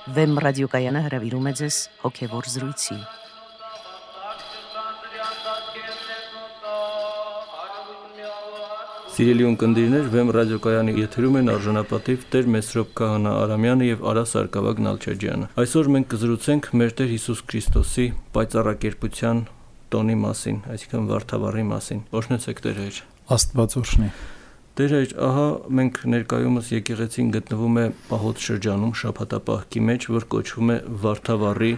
Վեմ ռադիոկայանը հրավիրում է ձեզ հոգևոր զրույցի։ Սիրելի ունկնդիրներ, Վեմ ռադիոկայանի եթերում են արժանապատիվ Տեր Մեսրոպ Քահանա Արամյանը եւ Արա Սարգսակ Նալչաջյանը։ Այսօր մենք կզրուցենք մեր Տեր Հիսուս Քրիստոսի պայծառակերպության տոնի մասին, այսինքն Վարդավառի մասին։ Օրհնեցեք Տեր Հայր։ Աստված օրհնի։ Տեր Հայր, ահա մենք ներկայումս եկեղեցին գտնվում է պահոց շրջանում շաբաթապահքի մեջ, որ կոչվում է Վարդավառի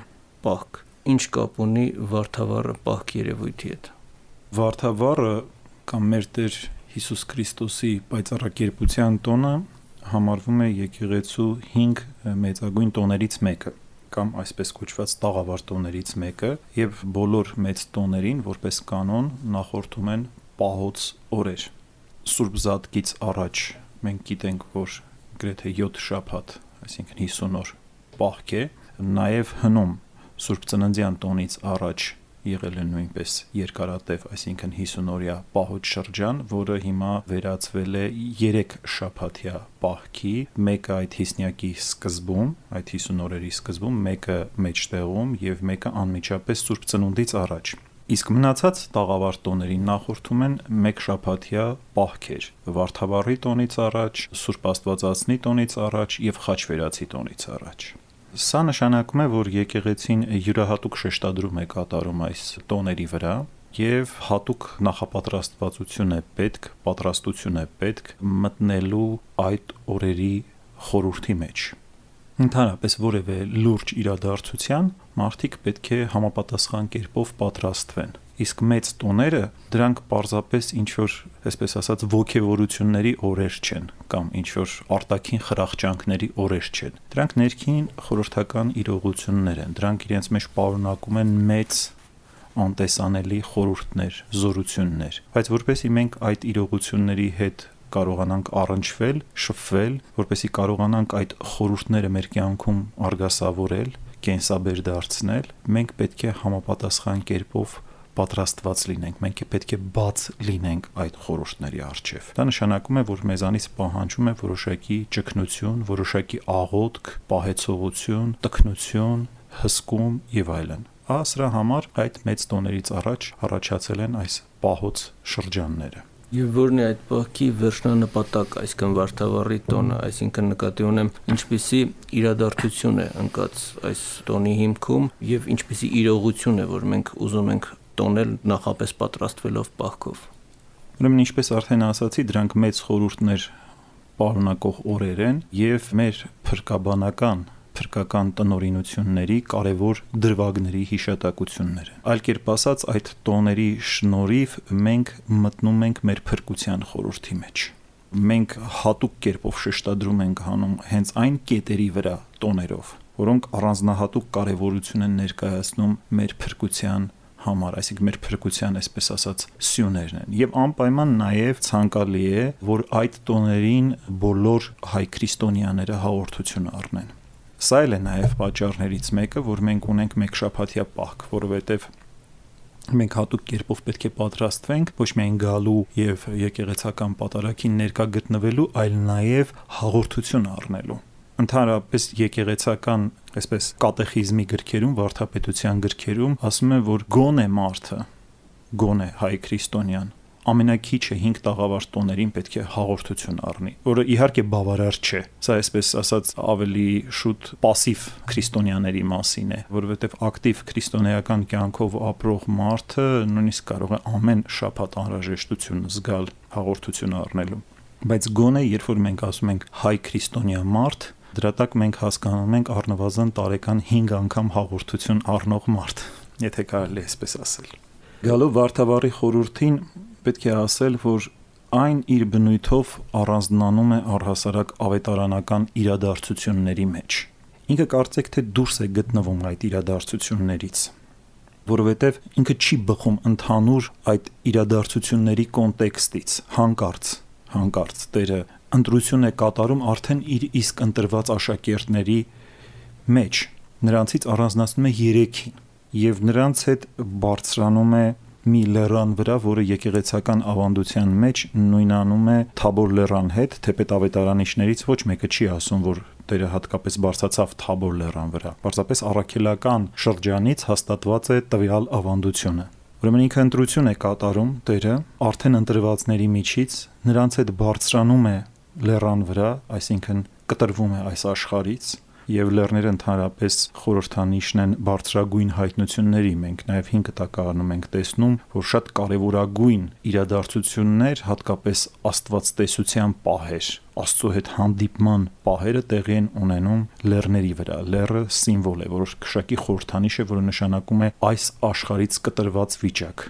պահք։ Ինչ կապ ունի Վարդավառը պահք երևույթի հետ։ Վարդավառը կամ մեր Տեր Հիսուս Քրիստոսի պայծառակերպության տոնը համարվում է եկեղեցու 5 մեծագույն տոներից մեկը, կամ այսպես կոչված տաղավար տոներից մեկը, եւ բոլոր մեծ տոներին որպես կանոն նախորդում են պահոց օրեր։ Սուրբ Զատկից առաջ մենք գիտենք, որ գրեթե 7 շաբաթ, այսինքն 50 օր պահք է, նաև հնում Սուրբ Ծննդյան տոնից առաջ եղել է նույնպես երկարատև, այսինքն 50 օրյա պահոց շրջան, որը հիմա վերածվել է 3 շաբաթյա պահքի, մեկը այդ հիսնյակի սկզբում, այդ 50 օրերի սկզբում, մեկը մեջտեղում եւ մեկը անմիջապես Սուրբ Ծնունդից առաջ։ Իսկ մնացած տաղավար տոներին նախորդում են մեկ շաբաթյա պահքեր, Վարդավառի տոնից առաջ, Սուրբ Աստվածածնի տոնից առաջ եւ Խաչվերացի տոնից առաջ։ Սա նշանակում է, որ եկեղեցին յուրահատուկ շեշտադրում է կատարում այս տոների վրա եւ հատուկ նախապատրաստվածություն է պետք, պատրաստություն է պետք մտնելու այդ օրերի խորհրդի մեջ։ Ընդհանրապես որևէ լուրջ իրադարձության մարդիկ պետք է համապատասխան կերպով պատրաստվեն։ Իսկ մեծ տոները դրանք պարզապես ինչ-որ, այսպես ասած, ոգևորությունների օրեր չեն կամ ինչ-որ արտաքին խրախճանքների օրեր չեն։ Դրանք ներքին խորհրդական իրողություններ են։ Դրանք իրենց մեջ պարունակում են մեծ անտեսանելի խորհուրդներ, զորություններ։ Բայց որպեսզի մենք այդ իրողությունների հետ կարողանանք առնչվել, շփվել, որպեսզի կարողանանք այդ խորհուրդները մեր կյանքում արգասավորել, կենսաբեր դարձնել, մենք պետք է համապատասխան կերպով պատրաստված լինենք, մենք պետք է բաց լինենք այդ խորհուրդների առջև։ Դա նշանակում է, որ մեզանից պահանջում է որոշակի ճգնություն, որոշակի աղոթք, պահեցողություն, տքնություն, հսկում եւ այլն։ Սրա համար այդ մեծ տոներից առաջ առաջացել են այս պահոց շրջանները։ Եվ որն է այդ պահքի վերջնանպատակ, այսինքն Վարդավառի տոնը, այսինքն նկատի ունեմ ինչպիսի իրադարձություն է ընկած այս տոնի հիմքում եւ ինչպիսի իրողություն է, որ մենք ուզում ենք տոնել նախապես պատրաստվելով պահքով։ Ուրեմն ինչպես արդեն ասացի, դրանք մեծ խորհուրդներ պարունակող օրեր են եւ մեր փրկական տնօրինությունների կարևոր դրվագների հիշատակություններ են։ Այլ կերպ ասած, այդ տոների շնորհիվ մենք մտնում ենք մեր փրկության խորհրդի մեջ։ Մենք հատուկ կերպով շեշտադրում ենք հանում հենց այն կետերի վրա տոներով, որոնք առանձնահատուկ կարևորություն են ներկայացնում մեր փրկության համար, այսինքն մեր փրկության, այսպես ասած, սյուներն են։ Եվ անպայման նաև ցանկալի է, որ այդ տոներին բոլոր հայ քրիստոնյաները հաղորդություն առնեն։ Սա էլ է նաև պատճառներից մեկը, որ մենք ունենք մեկ շաբաթյա պահք, որովհետև մենք հատուկ կերպով պետք է պատրաստվենք ոչ միայն գալու եւ եկեղեցական պատարագին ներկա գտնվելու, այլ նաև հաղորդություն առնելու։ Ընդհանրապես եկեղեցական, այսպես կատեխիզմի գրքերում, վարդապետության գրքերում ասում են, որ գոնե մարդը, գոնե հայ քրիստոնյան ամենակիչը 5 տաղավար տոներին պետք է հաղորդություն առնի, որը իհարկե բավարար չէ։ Սա այսպես ասած ավելի շուտ пассив քրիստոնյաների մասին է, որովհետև ակտիվ քրիստոնեական կյանքով ապրող մարդը նույնիսկ կարող է ամեն շաբաթ անհրաժեշտություն զգալ հաղորդություն առնելու։ Բայց գոնե երբ որ մենք ասում ենք հայ քրիստոնյա մարդ, դրա տակ մենք հասկանում ենք առնվազն տարեկան 5 անգամ հաղորդություն առնող մարդ, եթե կարելի է այսպես ասել։ Գալով Վարդավառի խորհրդին պետք է ասել, որ այն իր բնույթով առանձնանում է առհասարակ ավետարանական իրադարձությունների մեջ։ Ինքը կարծեք թե դուրս է գտնվում այդ իրադարձություններից, որովհետև ինքը չի բխում ընդհանուր այդ իրադարձությունների կոնտեքստից, հանկարծ Տերը ընտրություն է կատարում արդեն իր իսկ ընտրված աշակերտների մեջ, նրանցից առանձնացնում է 3-ին եւ նրանց հետ բարձրանում է մի լեռան վրա, որը եկեղեցական ավանդության մեջ նույնանում է Թաբոր լեռան հետ, թեպետ ավետարանիչներից ոչ մեկը չի ասում, որ Տերը հատկապես բարձրացավ Թաբոր լեռան վրա։ Պարզապես առաքելական շրջանից հաստատված է տվյալ ավանդությունը։ Ուրեմն ինքը ընտրություն է կատարում Տերը արդեն ընտրվածների միջից, նրանց հետ բարձրանում է լեռան վրա, այսինքն կտրվում է այս աշխարհից, եւ լեռները ընդհանրապես խորհրդանիշն են բարձրագույն հայտնությունների։ Մենք նաեւ 5 տակարանում ենք տեսնում, որ շատ կարեւորագույն իրադարձություններ, հատկապես աստվածտեսության պահեր, Աստծո հետ հանդիպման պահերը տեղի են ունենում լեռների վրա։ Լեռը սիմվոլ է, որոշ քշակի խորհրդանիշ է, որը նշանակում է այս աշխարհից կտրված վիճակ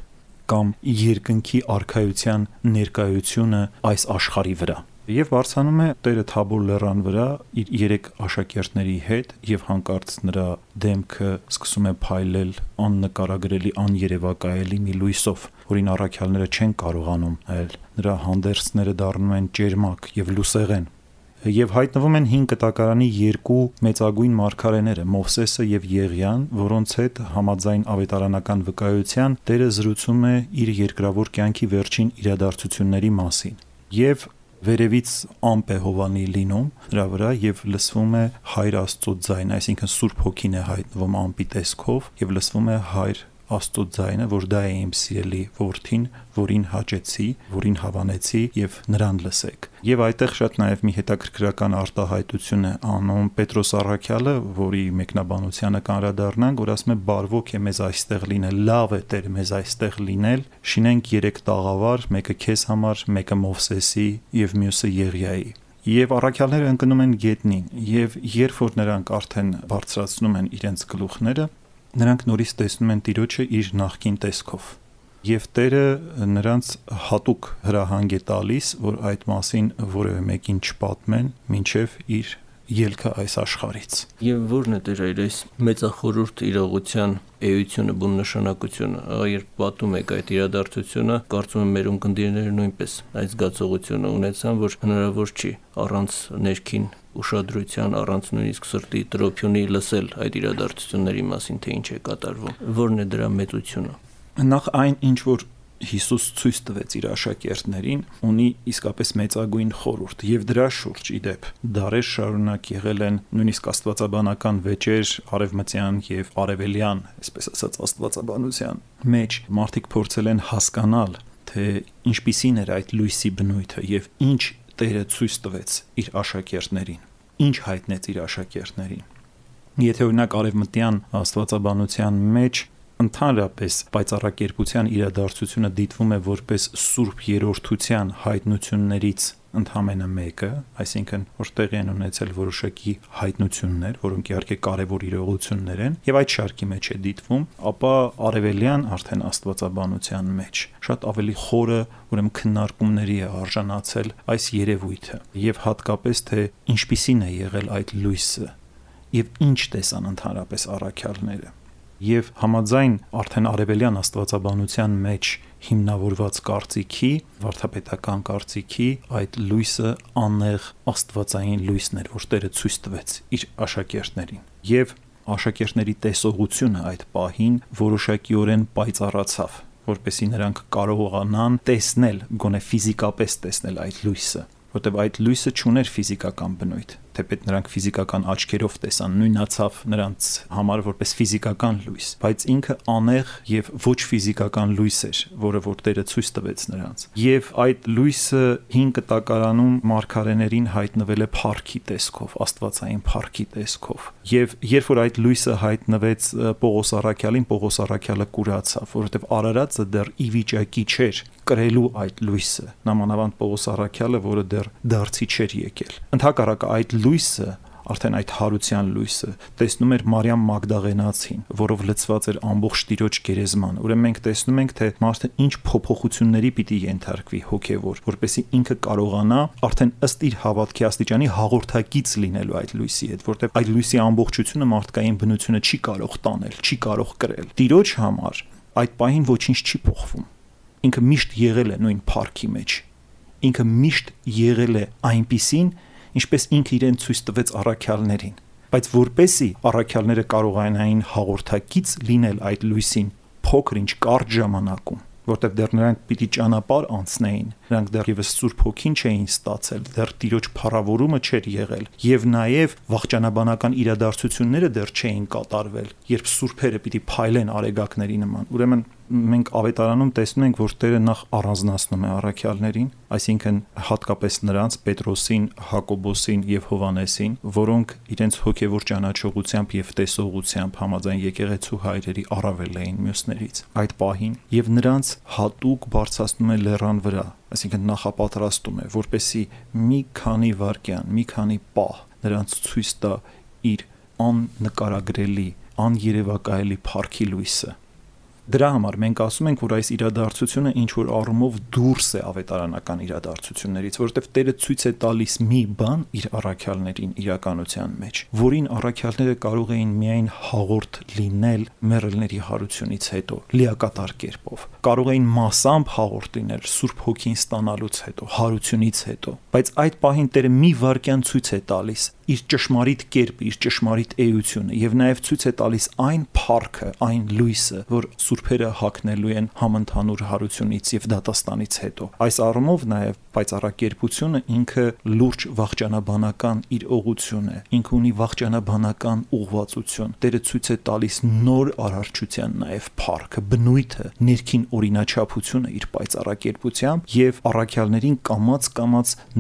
կամ երկնքի արքայության ներկայությունը այս աշխարհի վրա։ Եվ բարձրանում է Տերը Թաբոր լեռան վրա իր 3 աշակերտների հետ եւ հանկարծ նրա դեմքը սկսում է փայլել աննկարագրելի, աներևակայելի մի լույսով, որին առաքյալները չեն կարողանում նայել։ Նրա հանդերձները դառնում են ճերմակ եւ լուսեղեն։ Եվ հայտնվում են 5 տակարանի 2 մեծագույն մարգարեները՝ Մովսեսը եւ Եղիան, որոնց հետ համաձայն ավետարանական վկայության Տերը զրուցում է իր երկրավոր կյանքի վերջին իրադարձությունների մասին։ Եվ վերևից ամպ է Հովանի լինում նրա վրա եւ լսվում է Հայր Աստծո ձայն, այսինքն Սուրբ Հոգին է հայտնվում ամպի տեսքով եւ լսվում է Հայր Աստծո ձայնը, որ դա է իմ սիրելի որդին, որին հաճեցի, որին հավանեցի եւ նրան լսեք։ Եվ այդտեղ շատ նաեւ մի հետաքրքրական արտահայտություն է անում Պետրոս առաքյալը, որի մեկնաբանությանը կանրադառնանք, որ ասում է բարվոք է մեզ այստեղ լինել, լավ է Տեր մեզ այստեղ լինել, շինենք 3 տաղավար, մեկը քեզ համար, մեկը Մովսեսի եւ մյուսը Եղիայի։ Եվ առաքյալները ընկնում են գետնին, եւ երբ որ նրանք արդեն բարձրացնում են իրենց գլուխները, նրանք նորից տեսնում են Տիրոջը իր նախկին տեսքով։ Եվ Տերը նրանց հատուկ հրահանգ է տալիս, որ այդ մասին որևէ մեկին չպատմեն, մինչև իր ելքը այս աշխարհից։ Եվ ո՞րն է Տեր այս մեծախորհուրդ իրողության էությունը, բուն նշանակությունը։ Երբ պատում եք այդ իրադարձությունը, կարծում եմ մեր ունկնդիրները նույնպես այդ զգացողությունը ունեցան, որ հնարավոր չի առանց ներքին ուշադրության, առանց նույնիսկ սրտի տրոփյունի լսել այդ իրադարձությունների մասին, թե ինչ է կատարվում։ Ո՞րն է դրա մեծությունը։ Նախ այն, ինչ որ Հիսուս ցույց տվեց իր աշակերտներին, ունի իսկապես մեծագույն խորհուրդ, եւ դրա շուրջ իդեպ դարեր շարունակ եղել են նույնիսկ աստվածաբանական վեճեր արևմտյան եւ արևելյան, այսպես ասած աստվածաբանության մեջ մարդիկ փորձել են հասկանալ, թե ինչպիսին էր այդ լույսի բնույթը եւ ինչ Տերը ցույց տվեց իր աշակերտներին, ինչ հայտնեց իր աշակերտներին։ Եթե օրինակ արևմտյան աստվածաբանության մեջ ընդհանրապես պայծառակերպության իրադարձությունը դիտվում է որպես սուրբ երրորդության հայտնություններից ընդհանրապես մեկը, այսինքն որ տեղի են ունեցել որոշակի հայտնություններ, որոնք իհարկե կարևոր իրողություններ են, եւ այդ շարքի մեջ է դիտվում, ապա արևելյան արդեն աստվածաբանության մեջ շատ ավելի խորը, ուրեմն քննարկումների է արժանացել այս երևույթը, եւ հատկապես թե ինչպիսին է եղել այդ լույսը եւ ինչ տեսան ընդհանրապես առաքյալները։ Եվ համաձայն արդեն արևելյան աստվածաբանության մեջ հիմնավորված կարծիքի, վարդապետական կարծիքի, այդ լույսը անեղ աստվածային լույսն էր, որ Տերը ցույց տվեց իր աշակերտներին։ Եվ աշակերտների տեսողությունը այդ պահին որոշակիորեն պայծառացավ, որպեսզի նրանք կարողանան տեսնել, գոնե ֆիզիկապես տեսնել այդ լույսը, որտեղ այդ լույսը չուներ ֆիզիկական բնույթ, թեպետ նրանք ֆիզիկական աչքերով տեսան, նույնացավ նրանց համար որպես ֆիզիկական լույս, բայց ինքը անեղ եւ ոչ ֆիզիկական լույս էր, որը որ Տերը ցույց տվեց նրանց։ Եվ այդ լույսը 5 տակարանում մարգարեներին հայտնվել է փառքի տեսքով, աստվածային փառքի տեսքով։ Եվ երբ որ այդ լույսը հայտնվեց Պողոս առաքյալին, Պողոս առաքյալը կուրացավ, որովհետեւ Արարածը դեռ ի վիճակի չէր կրելու այդ լույսը, նամանավանդ Պողոս առաքյալը, որը դեռ դարձի չէր եկել։ Ընդհակառակը այդ լույսը, արդեն այդ հարության լույսը տեսնում էր Մարիամ Մագդաղենացին, որով լցված էր ամբողջ Տիրոջ գերեզման։ Ուրեմն մենք տեսնում ենք, թե մարդը ինչ փոփոխությունների պիտի ենթարկվի հոգևոր, որպեսզի ինքը կարողանա արդեն ըստ իր հավատքի աստիճանի հաղորդակից լինելու այդ լույսի հետ, որտեղ այդ լույսի ամբողջությունը մարդկային բնությունը չի կարող տանել, չի կարող կրել։ Տիրոջ համար այդ պահին ոչինչ չի փոխվում։ Ինքը միշտ եղել է նույն փառքի մեջ։ Ինքը միշտ եղել է այնպիսին, ինչպես ինքը իրեն ցույց տվեց առաքյալներին, բայց որպեսի առաքյալները կարողանային հաղորդակից լինել այդ լույսին փոքր ինչ կարճ ժամանակում, որտեղ դեռ նրանք պիտի ճանապարհ անցնեին, նրանք դեռևս Սուրբ Հոգին չէին ստացել, դեռ Տիրոջ փառավորումը չէր եղել, եւ նաեւ վաղճանաբանական իրադարձությունները դեռ չէին կատարվել, երբ սուրբերը պիտի փայլեն արեգակների նման։ Ուրեմն մենք ավետարանում տեսնում ենք, որ Տերը նախ առանձնացնում է առաքյալներին, այսինքն հատկապես նրանց Պետրոսին, Հակոբոսին եւ Հովանեսին, որոնք իրենց հոգեվոր ճանաչողությամբ եւ տեսողությամբ համաձայն եկեղեցու հայրերի առավել էին մյուսներից այդ պահին, եւ նրանց հատուկ բարձրացնում է լեռան վրա, այսինքն նախապատրաստում է, որպեսի մի քանի վայրկյան, մի քանի պահ նրանց ցույց տա իր աննկարագրելի, աներևակայելի փառքի լույսը։ Դրա համար մենք ասում ենք, որ այս իրադարձությունը ինչ որ առումով դուրս է ավետարանական իրադարձություններից, որովհետև Տերը ցույց է տալիս մի բան իր առաքյալներին իրականության մեջ, որին առաքյալները կարող էին միայն հաղորդ լինել մեռելների հարությունից հետո, լիակատար կերպով, կարող էին մասամբ հաղորդ լինել Սուրբ Հոգին ստանալուց հետո, հարությունից հետո, բայց այդ պահին Տերը մի վայրկյան ցույց է տալիս իր ճշմարիտ կերպը, իր ճշմարիտ էությունը եւ նաեւ ցույց է տալիս այն փառքը, այն լույսը, որ սուրբերը հագնելու են համընդհանուր հարությունից եւ դատաստանից հետո։ Այս առումով նաեւ պայծառակերպությունը ինքը լուրջ վաղճանաբանական իր ուղղություն է, ինքը ունի վաղճանաբանական ուղղվածություն։ Տերը ցույց է տալիս նոր արարչության նաեւ փառքը, բնույթը, ներքին օրինաչափությունը իր պայծառակերպությամբ եւ առաքյալներին կամաց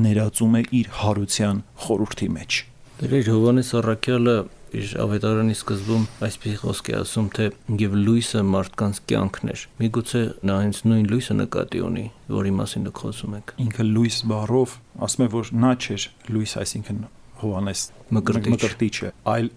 ներածում է իր հարության խորհրդի մեջ։ Դեր Հովանես առաքյալը իր ավետարանի սկզբում այսպես խոսք է ասում, թե եւ լույսը մարդկանց կյանքն էր։ Միգուցե նա հենց նույն լույսը նկատի ունի, որի մասին դուք խոսում եք։ Ինքը լույս բառով ասում է, որ նա չէր լույս, այսինքն Հովանես մկրտիչը, այլ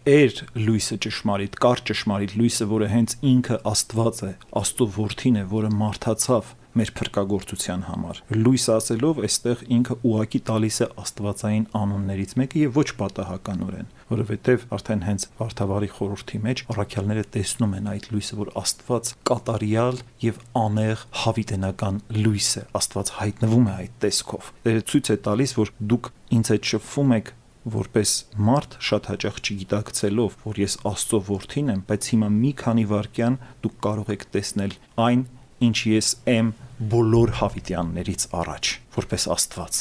էր լույսը ճշմարիտ, կար ճշմարիտ լույսը, որը հենց ինքը Աստված է, Աստծո որդին է, որը մարդացավ մեր փրկagorցության համար։ Լույս ասելով այստեղ ինքը ուղակի տալիս է աստվածային անուններից մեկը եւ ոչ պատահականորեն, որովհետեւ արդեն հենց Վարդավառի խորհրդի մեջ առաքյալները տեսնում են այդ լույսը, որ Աստված կատարյալ եւ անեղ հավիտենական լույս է, Աստված հայտնվում է այդ տեսքով։ Դերը ցույց է տալիս, որ դուք ինձ հետ շփվում եք որպես մարդ շատ հաճախ չգիտակցելով, որ ես Աստծո որդին եմ, բայց հիմա մի քանի վայրկյան դուք կարող եք տեսնել այն, ինչ ես եմ բոլոր հավիտյաններից առաջ, որպես Աստված։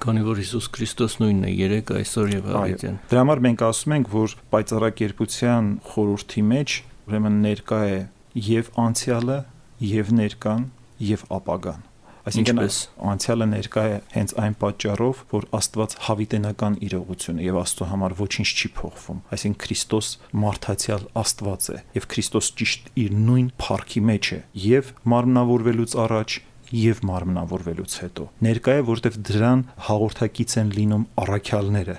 Քանի որ Հիսուս Քրիստոս նույնն է երեք, այսօր եւ հավիտյան։ Դրա համար մենք ասում ենք, որ պայծառակերպության խորհրդի մեջ ուրեմն ներկա է եւ անցյալը, եւ ներկան, եւ ապագան։ Այսինքն անցյալը ներկա է հենց այն պատճառով, որ Աստված հավիտենական իրողություն է եւ Աստծո համար ոչինչ չի փոխվում։ Այսինքն Քրիստոս մարդացյալ Աստված է եւ Քրիստոս ճիշտ իր նույն փառքի մեջ է եւ մարմնավորվելուց առաջ եւ մարմնավորվելուց հետո։ Ներկա է, որտեղ դրան հաղորդակից են լինում առաքյալները,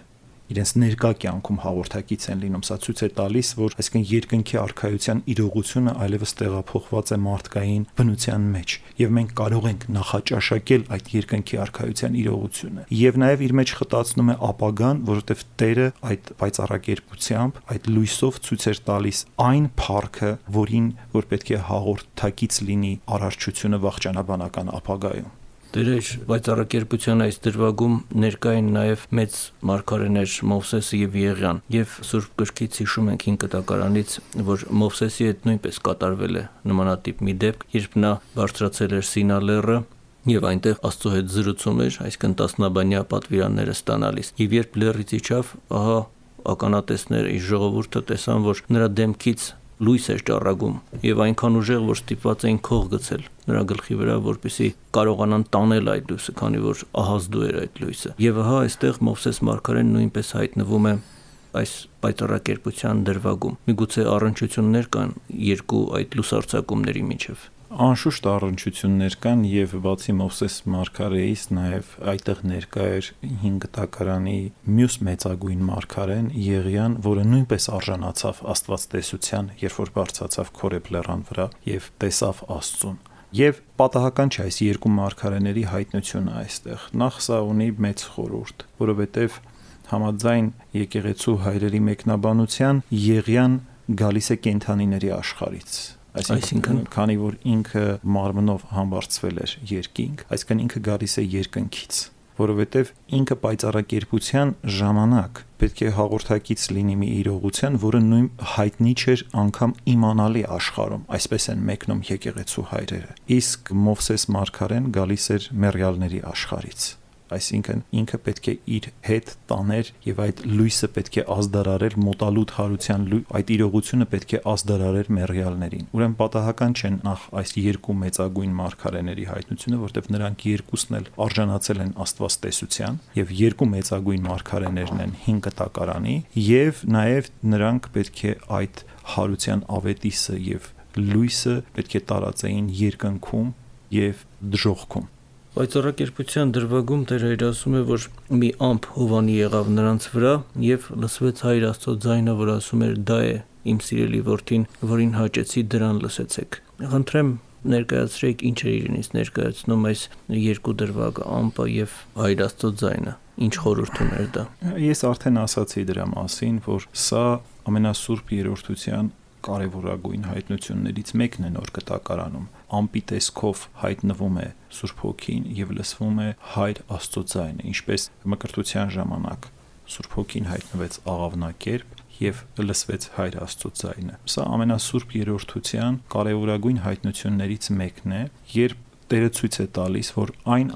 իրենց ներկա կյանքում հաղորդակից են լինում։ Սա ցույց է տալիս, որ այսինքն երկնքի արքայության իրողությունը այլևս տեղափոխված է մարդկային բնության մեջ եւ մենք կարող ենք նախաճաշակել այդ երկնքի արքայության իրողությունը։ Եվ նաեւ իր մեջ խտացնում է ապագան, որովհետեւ Տերը այդ պայծառակերպությամբ, այդ լույսով ցույց էր տալիս այն փառքը, որին որ պետք է հաղորդակից լինի արարչությունը վաղճանաբանական ապագայում։ Դեր պայծառակերպության այս դրվագում ներկա են նաև մեծ մարգարեներ Մովսեսը եւ Եղիան, եւ Սուրբ գրքից հիշում ենք 5 կտակարանից, որ Մովսեսի հետ նույնպես կատարվել է նմանատիպ մի դեպք, երբ նա բարձրացել էր Սինա լեռը եւ այնտեղ Աստծո հետ զրուցում էր, այսինքն 10-բանյա պատվիրանները ստանալիս։ Եվ երբ լեռից իջավ, ահա ականատեսները, իր ժողովուրդը տեսան, որ նրա դեմքից լույս էր ճառագում եւ այնքան ուժեղ, որ ստիպված էին քող գցել նրա գլխի վրա, որպեսզի կարողանան տանել այդ լույսը, քանի որ ահազդու էր այդ լույսը։ Եվ ահա այստեղ Մովսես մարգարեն նույնպես հայտնվում է այս պայծառակերպության դրվագում։ Միգուցե առնչություններ կան երկու այդ լուսարձակումների միջև։ Անշուշտ առնչություններ կան եւ բացի Մովսես մարգարեից նաեւ այդտեղ ներկա էր 5 տակարանի մյուս մեծագույն մարգարեն Եղիան, որը նույնպես արժանացավ Աստված տեսության, երբ որ բարձրացավ Քորեբ լեռան վրա եւ տեսավ Աստծուն։ Եվ պատահական չէ այս երկու մարգարեների հայտնությունը այստեղ։ Նախ սա ունի մեծ խորհուրդ, որովհետեւ համաձայն եկեղեցու հայրերի մեկնաբանության Եղիան գալիս է կենդանիների աշխարհից։ Այսինքն, քանի որ ինքը մարմնով համբարձվել էր երկինք, այսինքն ինքը գալիս է երկնքից, որովհետև ինքը պայծառակերպության ժամանակ պետք է հաղորդակից լինի մի իրողության, որը նույն հայտնի չէր անգամ իմանալի աշխարհում, այսպես են մեկնում եկեղեցու հայրերը։ Իսկ Մովսես մարգարեն գալիս էր մեռյալների աշխարհից, այսինքն ինքը պետք է իր հետ տաներ եւ այդ լույսը պետք է ազդարարել մոտալուտ հարության այդ իրողությունը պետք է ազդարարել մեռյալներին։ Ուրեմն պատահական չեն նախ այս երկու մեծագույն մարգարեների հայտնությունը, որտեղ նրանք երկուսն էլ արժանացել են աստվածտեսության եւ երկու մեծագույն մարգարեներն են 5 կտակարանի եւ նաեւ նրանք պետք է այդ հարության ավետիսը եւ լույսը պետք է տարածեին երկնքում եւ դժոխքում։ Պայծառակերպության դրվագում Տեր Հայր ասում է, որ մի ամփ հովանի եղավ նրանց վրա եւ լսվեց Հայր Աստծո ձայնը, որ ասում էր՝ «Դա է իմ սիրելի որդին, որին հաճեցի, դրան լսեցեք»։ Խնդրեմ ներկայացրեք ինչ է իրենից ներկայացնում այս երկու դրվագը՝ ամպը եւ Հայր Աստծո ձայնը։ Ինչ խորհուրդ ուներ դա։ Ես արդեն ասացի դրա մասին, որ սա ամենասուրբ երրորդության կարևորագույն հայտնություններից մեկն է նոր կտակարանում։ Ամպի տեսքով հայտնվում է Սուրբ Հոգին եւ լսվում է Հայր Աստծո ձայնը, ինչպես մկրտության ժամանակ Սուրբ Հոգին հայտնվեց աղավնակերպ եւ լսվեց Հայր Աստծո ձայնը։ Սա ամենասուրբ երրորդության կարևորագույն հայտնություններից մեկն է, երբ Տերը ցույց է տալիս, որ այն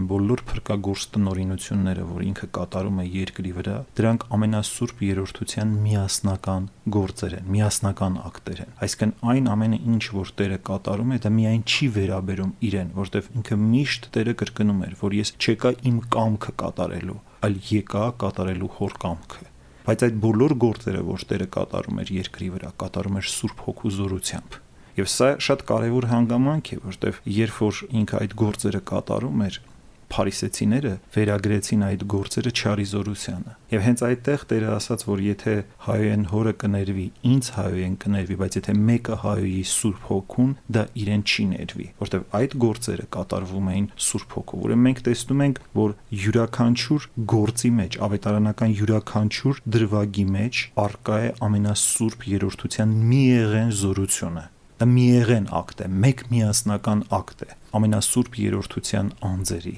բոլոր փրկագործ տնօրինությունները, որ ինքը կատարում է երկրի վրա, դրանք ամենասուրբ երրորդության միասնական գործեր են, միասնական ակտեր են։ Այսինքն այն ամենը, ինչ որ Տերը կատարում է, դա միայն չի վերաբերում իրեն, որտեղ ինքը միշտ Տերը կրկնում էր, որ ես չեկա իմ կամքը կատարելու, այլ եկա կատարելու Հոր կամքը։ Բայց այդ բոլոր գործերը, որ Տերը կատարում էր երկրի վրա, կատարում էր Սուրբ Հոգու զորությամբ։ Եվ սա շատ կարևոր հանգամանք է, որտեղ երբ որ ինքը այդ գործերը կատարում էր, փարիսեցիները վերագրեցին այդ գործերը չարիզորությանը։ Եվ հենց այդտեղ Տերը ասաց, որ եթե հայոյեն հորը կներվի, ինձ հայոյեն կներվի, բայց եթե մեկը հայոյի Սուրբ Հոգուն, դա իրեն չի ներվի, որտեղ այդ գործերը կատարվում էին Սուրբ Հոգով։ Ուրեմն մենք տեսնում ենք, որ յուրաքանչյուր գործի մեջ, ավետարանական յուրաքանչյուր դրվագի մեջ արկա է ամենասուրբ երրորդության միեղեն զորությունը։ Դա միեղեն ակտ է, մեկ միասնական ակտ է ամենասուրբ երրորդության անձերի։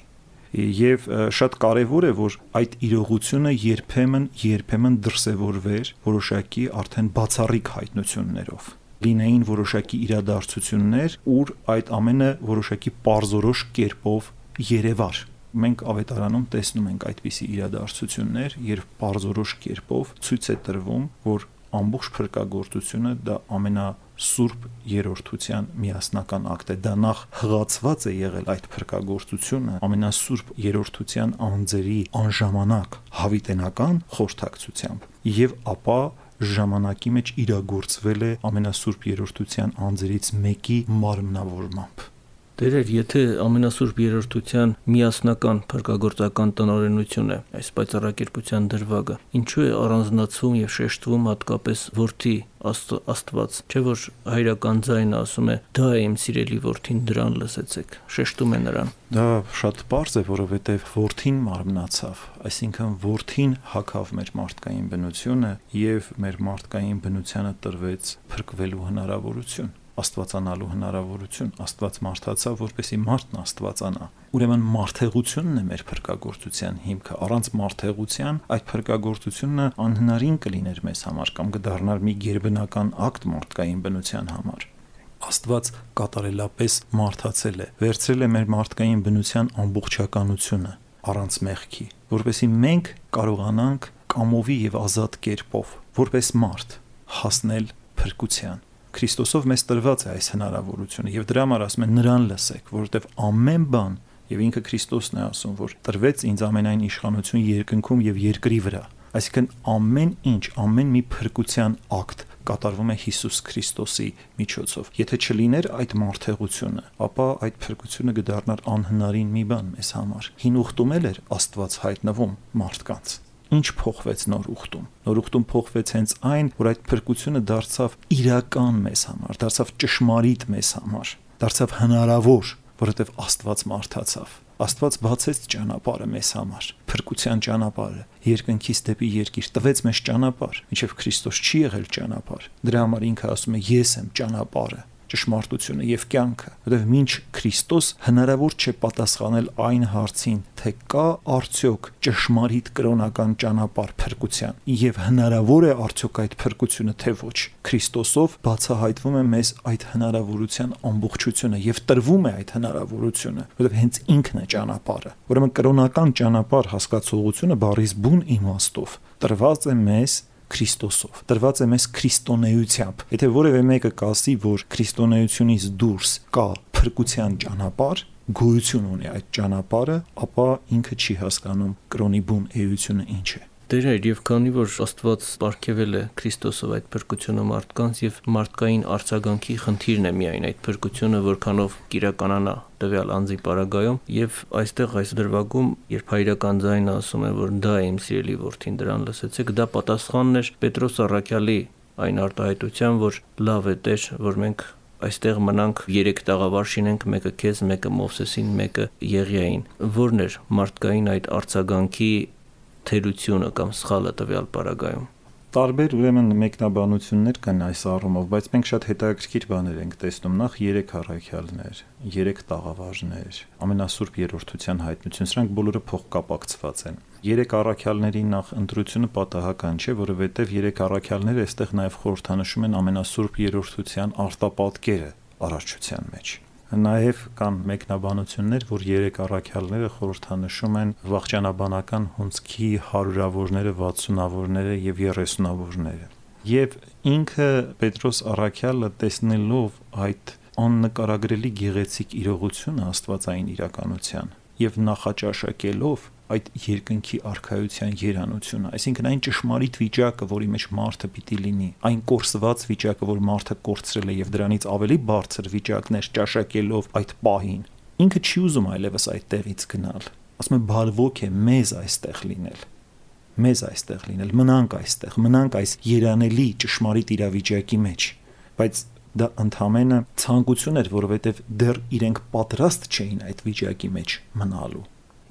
Եվ շատ կարևոր է, որ այդ իրողությունը երբեմն դրսևորվեր որոշակի արդեն բացառիկ հայտնություններով։ Լինեին որոշակի իրադարձություններ, ուր այդ ամենը որոշակի պարզորոշ կերպով երևար։ Մենք ավետարանում տեսնում ենք այդպիսի իրադարձություններ, երբ պարզորոշ կերպով ցույց է տրվում, որ ամբողջ փրկագործությունը դա ամենասուրբ երրորդության միասնական ակտ է։ Դա նախ հղացված է եղել այդ փրկագործությունը ամենասուրբ երրորդության անձերի անժամանակ հավիտենական խորհրդակցությամբ եւ ապա ժամանակի մեջ իրագործվել է ամենասուրբ երրորդության անձերից մեկի մարմնավորմամբ։ Տերեր, եթե ամենասուրբ երրորդության միասնական փրկագործական տնօրենություն է այս պայծառակերպության դրվագը, ինչու է առանձնացվում եւ շեշտվում հատկապես որդի Աստված, չէ՞ որ հայրական ձայնը ասում է՝ «Դա է իմ սիրելի որդին, դրան լսեցեք», շեշտում է նրան։ Դա շատ պարզ է, որովհետեւ որդին մարմնացավ, այսինքն որդին հագավ մեր մարդկային բնությունը եւ մեր մարդկային բնությանը տրվեց փրկվելու հնարավորություն, աստվածանալու հնարավորություն, Աստված մարդացավ, որպեսզի մարդն աստվածանա։ Ուրեմն մարդեղությունն է մեր փրկագործության հիմքը, առանց մարդեղության այդ փրկագործությունը անհնարին կլիներ մեզ համար կամ կդառնար մի գերբնական ակտ մարդկային բնության համար։ Աստված կատարելապես մարդացել է, վերցրել է մեր մարդկային բնության ամբողջականությունը առանց մեղքի, որպեսզի մենք կարողանանք կամովի եւ ազատ կերպով, որպես մարդ, հասնել փրկության։ Քրիստոսով մեզ տրված է այս հնարավորությունը եւ դրա համար ասում են նրան լսեք, որովհետեւ ամեն բան եւ ինքը Քրիստոսն է ասում, որ տրվեց ինձ ամենայն իշխանություն երկնքում եւ երկրի վրա։ Այսինքն ամեն ինչ, ամեն մի փրկության ակտ կատարվում է Հիսուս Քրիստոսի միջոցով։ Եթե չլիներ այդ մարդեղությունը, ապա այդ փրկությունը կդառնար անհնարին մի բան մեզ համար։ Հին ուխտում էր Աստված հայտնվում մարդկանց։ Ինչ փոխվեց նոր ուխտում։ Նոր ուխտում փոխվեց հենց այն, որ այդ փրկությունը դարձավ իրական մեզ համար, դարձավ ճշմարիտ մեզ համար, դարձավ հնարավոր, որովհետև Աստված մարդացավ։ Աստված բացեց ճանապարհը մեզ համար, փրկության ճանապարհը, երկնքից դեպի երկիր տվեց մեզ ճանապարհ, ինչեւ Քրիստոս չի եղել ճանապարհ։ Դրա համար ինքը ասում է՝ ես եմ ճանապարհը։ ճշմարտությունը եւ կյանքը, որովհետեւ մինչ Քրիստոս հնարավոր չէ պատասխանել այն հարցին, թե կա արդյոք ճշմարիտ կրոնական ճանապարհ փրկության, եւ հնարավոր է արդյոք այդ փրկությունը թե ոչ։ Քրիստոսով բացահայտվում է մեզ այդ հնարավորության ամբողջությունը եւ տրվում է այդ հնարավորությունը, որովհետեւ հենց ինքն է ճանապարհը։ Ուրեմն կրոնական ճանապարհ հասկացողությունը բառից բուն իմաստով տրված է մեզ Քրիստոսով, տրված է մեզ քրիստոնեությամբ։ Եթե որևէ մեկը կասի, որ քրիստոնեությունից դուրս կա փրկության ճանապարհ, գոյություն ունի այդ ճանապարհը, ապա ինքը չի հասկանում կրոնի բուն էությունը ինչ է։ Դեր եւ քանի որ Աստված ապարգևել է Քրիստոսով այդ փրկությունը մարդկանց եւ մարդկային արձագանքի խնդիրն է միայն այդ փրկությունը որքանով կիրականանա տվյալ անձի պարագայում եւ այստեղ այս դրվագում երբ հայրական ձայնը ասում է որ դա է իմ սիրելի որդին դրան լսեցեք, դա պատասխանն էր Պետրոս առաքյալի այն արտահայտության, որ լավ է Տեր, որ մենք այստեղ մնանք 3 տաղավար շինենք, մեկը քեզ, մեկը Մովսեսին, մեկը Եղիային։ Որն էր մարդկային այդ արձագանքի թերությունը կամ սխալը տվյալ պարագայում։ Տարբեր ուրեմն մեկնաբանություններ կան այս առումով, բայց մենք շատ հետաքրքիր բաներ ենք տեսնում։ Նախ 3 առաքյալներ, 3 տաղավարներ, ամենասուրբ երրորդության հայտնություն, սրանք բոլորը փոխկապակցված են։ 3 առաքյալների նախ ընտրությունը պատահական չէ, որովհետև 3 առաքյալները այստեղ նաև խորհրդանշում են ամենասուրբ երրորդության արտապատկերը արարչության մեջ։ Նաև կան մեկնաբանություններ, որ 3 առաքյալները խորհրդանշում են վաղճանաբանական հունձքի հարյուրավորները, 60-ավորները եւ 30-ավորները։ Եվ ինքը Պետրոս առաքյալը տեսնելով այդ աննկարագրելի գեղեցիկ իրողությունը աստվածային իրականության եւ նախաճաշակելով այդ երկնքի արքայության երանությունը, այսինքն այն ճշմարիտ վիճակը, որի մեջ մարդը պիտի լինի, այն կորսված վիճակը, որ մարդը կորցրել է եւ դրանից ավելի բարձր վիճակներ ճաշակելով այդ պահին, ինքը չի ուզում այլևս այդ տեղից գնալ։ Ասում է բարվոք է մեզ այստեղ լինել, մնանք այս երանելի ճշմարիտ իրավիճակի մեջ, բայց դա ընդհանրապես ցանկություն էր, որովհետեւ դեռ իրենք պատրաստ չէին այդ վիճակի մեջ մնալու։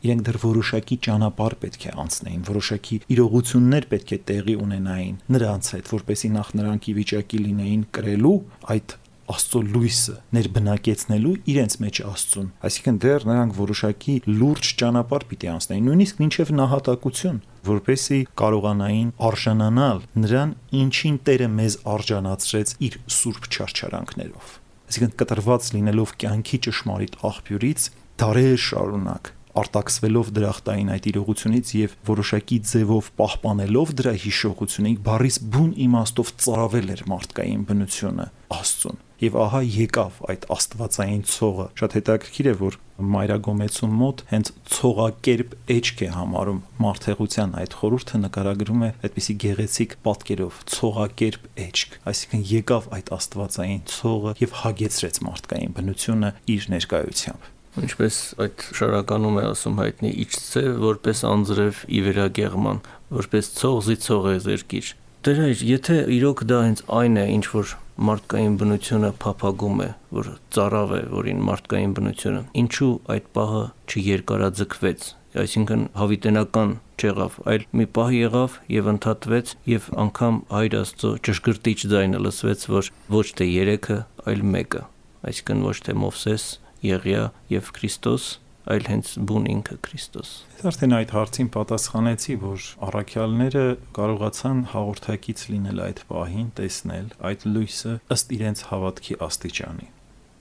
Իրենք դեռ որոշակի ճանապարհ պետք է անցնեին, որոշակի իրողություններ պետք է տեղի ունենային նրանց հետ, որպեսզի նախ նրանք ի վիճակի լինեին կրելու այդ Աստծո լույսը, ներբնակեցնելու իրենց մեջ Աստծուն։ Այսինքն դեռ նրանք որոշակի լուրջ ճանապարհ պիտի անցնեին, նույնիսկ մինչև նահատակություն, որպեսզի կարողանային արժանանալ նրան, ինչին Տերը մեզ արժանացրեց իր սուրբ չարչարանքներով։ Այսինքն կտրված լինելով կյանքի ճշմարիտ աղբյուրից դարեր շարունակ արտաքսվելով դրախտային այդ իրողությունից եւ որոշակի ձևով պահպանելով դրա հիշողությունը, բառից բուն իմաստով ծարավել էր մարդկային բնությունը Աստծուն։ Եվ ահա եկավ այդ աստվածային ցողը։ Շատ հետաքրքիր է, որ Մայրագոմեցու մոտ հենց ցողակերպ էջք է համարում մարդեղության այդ խորհուրդը նկարագրում է այդպիսի գեղեցիկ պատկերով ցողակերպ էջք, այսինքն եկավ այդ աստվածային ցողը եւ հագեցրեց մարդկային բնությունը իր ներկայությամբ։ Ինչպես այդ շարականում է ասում հայտնի իջցե, որպես անձրև ի վերագեղման, որպես ցող զիցող է զերկիր։ Տեր հայր, եթե իրոք դա հենց այն է, ինչ որ մարդկային բնությունը փափագում է, որ ծարավ է, որին մարդկային բնությունը, ինչու այդ պահը չերկարաձգվեց, այսինքն հավիտենական չեղավ, այլ մի պահ եղավ եւ ընդհատվեց եւ անգամ Հայր Աստծո ճշգրտիչ ձայնը լսվեց, որ ոչ թե 3-ը, այլ 1-ը, այսինքն ոչ թե Մովսես, Եղիա եւ Քրիստոս, այլ հենց բուն ինքը Քրիստոս։ Ես արդեն այդ հարցին պատասխանեցի, որ առաքյալները կարողացան հաղորդակից լինել այդ պահին, տեսնել այդ լույսը ըստ իրենց հավատքի աստիճանի։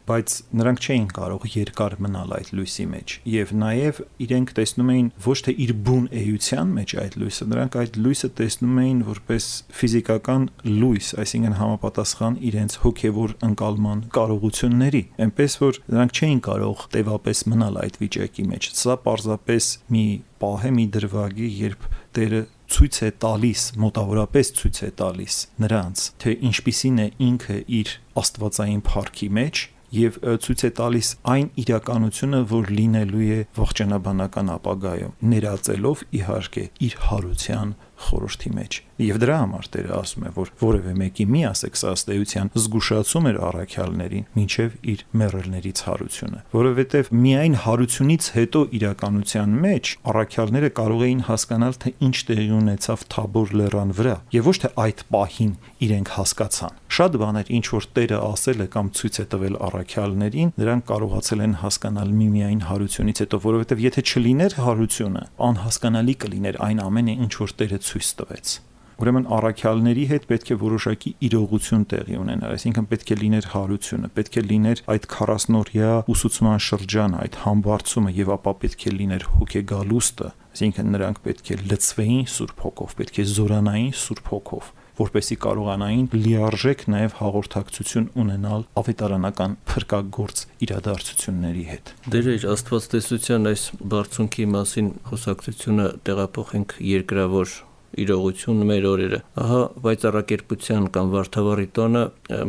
Բայց նրանք չէին կարող երկար մնալ այդ լույսի մեջ եւ նաեւ իրենք տեսնում էին ոչ թե իր բուն էության մեջ այդ լույսը, նրանք այդ լույսը տեսնում էին որպես ֆիզիկական լույս, այսինքն համապատասխան իրենց հոգեվոր ընկալման կարողությունների, այնպես որ նրանք չէին կարող տևապես մնալ այդ վիճակի մեջ։ Սա պարզապես մի պահ է, մի դրվագի, երբ Տերը ցույց է տալիս, մոտավորապես ցույց է տալիս նրանց, թե ինչպիսին է ինքը իր աստվածային փառքի մեջ եւ ցույց է տալիս այն իրականությունը, որ լինելու է ողջանաբանական ապագայում, ներածելով իհարկե իր հարության խորհրդի մեջ։ Եվ դրա համար Տերը ասում է, որ որևէ մեկի մի ասեք սա ըստ էության զգուշացում էր առաքյալներին մինչև իր մեռելներից հարությունը, որովհետև միայն հարությունից հետո իրականության մեջ առաքյալները կարող էին հասկանալ, թե ինչ տեղի ունեցավ Թաբոր լեռան վրա, եւ ոչ թե այդ պահին իրենք հասկացան։ Շատ բաներ, ինչ որ Տերը ասել է կամ ցույց է տվել առաքյալներին, նրանք կարողացել են հասկանալ միմիայն հարությունից հետո, որովհետև եթե չլիներ հարությունը, անհասկանալի կլիներ այն ամենը, ինչ որ Տերը ցույց տվեց։ Ուրեմն առաքյալների հետ պետք է որոշակի իրողություն տեղի ունենար, այսինքն պետք է լիներ հարությունը, պետք է լիներ այդ 40-օրյա ուսուցման շրջանը, այդ համբարձումը եւ ապա պետք է լիներ հոգեգալուստը, այսինքն նրանք պետք է լցվեին Սուրբ Հոգով, պետք է զորանային Սուրբ Հոգով, որպեսզի կարողանային լիարժեք նաև հաղորդակցություն ունենալ ավետարանական փրկագործ իրադարձությունների հետ։ Դեր իր աստվածտեսության այս բարձունքի մասին խոսակցությունը տեղափոխենք երկրավոր իրողություն մեր օրերը։ Ահա վայծառակերպության կամ վարդավառի տոնը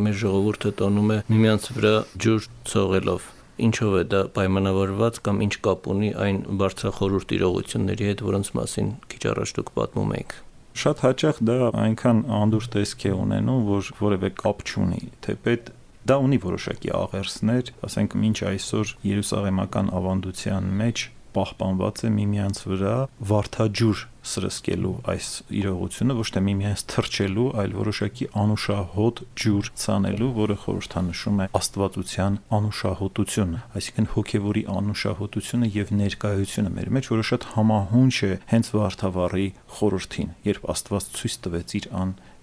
մեր ժողովուրդը տոնում է միմյանց վրա ջուր ցողելով։ Ինչով է դա պայմանավորված կամ ինչ կապ ունի այն բարձրախորհուրդ իրողությունների հետ, որոնց մասին քիչ առաջ դուք պատմում եք։ Շատ հաճախ դա այնքան անդուր տեսք է ունենում, որ որևէ կապ չունի, թեպետ դա ունի որոշակի աղերսներ, ասենք մինչ այսօր Երուսաղեմական ավանդության մեջ պահպանված է միմյանց վրա վարդաջուր սրսկելու այս իրողությունը, ոչ թե միմյանց թրջելու, այլ որոշակի անուշահոտ ջուր ցանելու, որը խորհրդանշում է աստվածության անուշահոտությունը, այսինքն հոգևորի անուշահոտությունը եւ ներկայությունը մեր մեջ, որը շատ համահունչ է հենց վարդավառի խորհրդին, երբ Աստված ցույց տվեց իր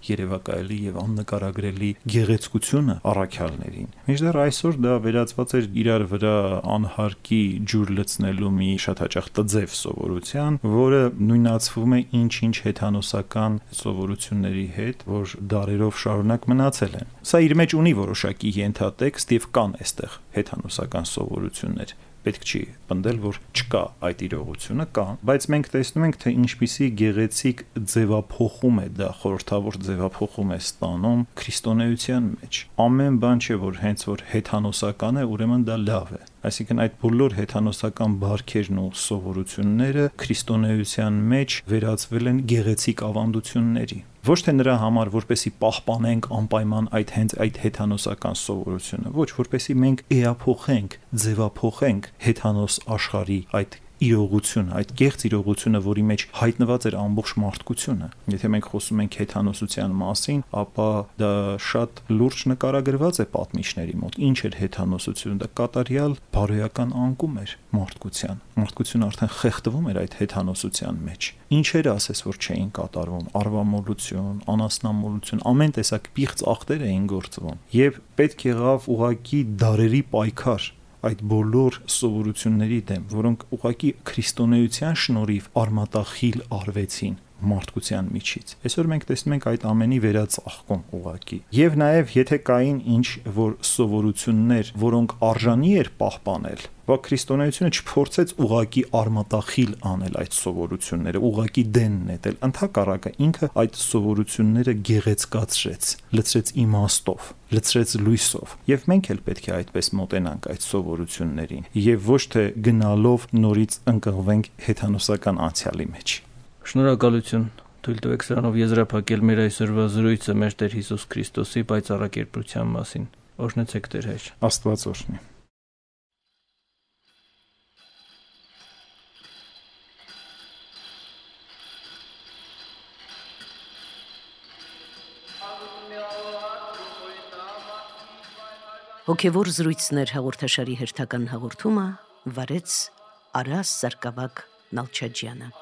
երևակայելի եւ աննկարագրելի գեղեցկությունը առաքյալներին։ Մինչդեռ այսօր դա վերածված էր իրար վրա անհարկի ջուր լցնելու մի շատ հաճախ տձև սովորության, որը նույնացվում է ինչ-ինչ հեթանոսական սովորությունների հետ, որ դարերով շարունակ մնացել են։ Սա իր մեջ ունի որոշակի ենթատեքստ եւ կան այստեղ հեթանոսական սովորություններ։ Պետք չի պնդել, որ չկա այդ իրողությունը, կա, բայց մենք տեսնում ենք, թե ինչպիսի գեղեցիկ ձևափոխում է դա, խորհրդավոր ձևափոխում է ստանում քրիստոնեության մեջ։ Ամեն բան չէ, որ հենց որ հեթանոսական է, ուրեմն դա լավ է։ Այսինքն այդ բոլոր հեթանոսական բարքերն ու սովորությունները քրիստոնեության մեջ վերածվել են գեղեցիկ ավանդությունների։ Ոչ թե նրա համար, որպեսի պահպանենք անպայման այդ հեթանոսական սովորությունը, ոչ, որպեսի մենք էափոխենք, ձևափոխենք հեթանոս աշխարհի այդ իրողությունը, այդ կեղծ իրողությունը, որի մեջ հայտնված էր ամբողջ մարդկությունը։ Եթե մենք խոսում ենք հեթանոսության մասին, ապա դա շատ լուրջ նկարագրված է պատմիչների մոտ։ Ինչ էր հեթանոսությունը? Դա կատարյալ բարոյական անկում էր մարդկության։ Մարդկությունը արդեն խեղդվում էր այդ հեթանոսության մեջ։ Ինչեր ասես, որ չէին կատարվում, արվամոլություն, անասնամոլություն, ամեն տեսակ պիղծ ախտեր էին գործվում։ Եվ պետք եղավ ուղակի դարերի պայքար այդ բոլոր սովորությունների դեմ, որոնք ուղղակի քրիստոնեության շնորհիվ արմատախիլ արվեցին մարդկության միջից։ Այսօր մենք տեսնում ենք այդ ամենի վերածաղկում ուղղակի։ Եվ նաև եթե կային ինչ որ սովորություններ, որոնք արժանի էր պահպանել, բայց քրիստոնեությունը չփորձեց ուղղակի արմատախիլ անել այդ սովորությունները, ուղղակի դեն նետել, ընդհակառակը ինքը այդ սովորությունները գեղեցկացրեց, լցրեց իմաստով, լցրեց լույսով։ Եվ մենք էլ պետք է այդպես մոտենանք այդ սովորություններին, եւ ոչ թե գնալով նորից ընկղվենք հեթանոսական անցյալի մեջ։ Շնորհակալություն։ Թույլ տվեք սրանով եզրափակել մեր այսօրվա զրույցը մեր Տեր Հիսուս Քրիստոսի պայծառակերպության մասին։ Օրհնեցեք Տեր հայր։ Աստված օրհնի։ Հոգևոր զրույցներ հաղորդաշարի հերթական հաղորդումը վարեց Արաս Սարգսակ Նալչաջյանը։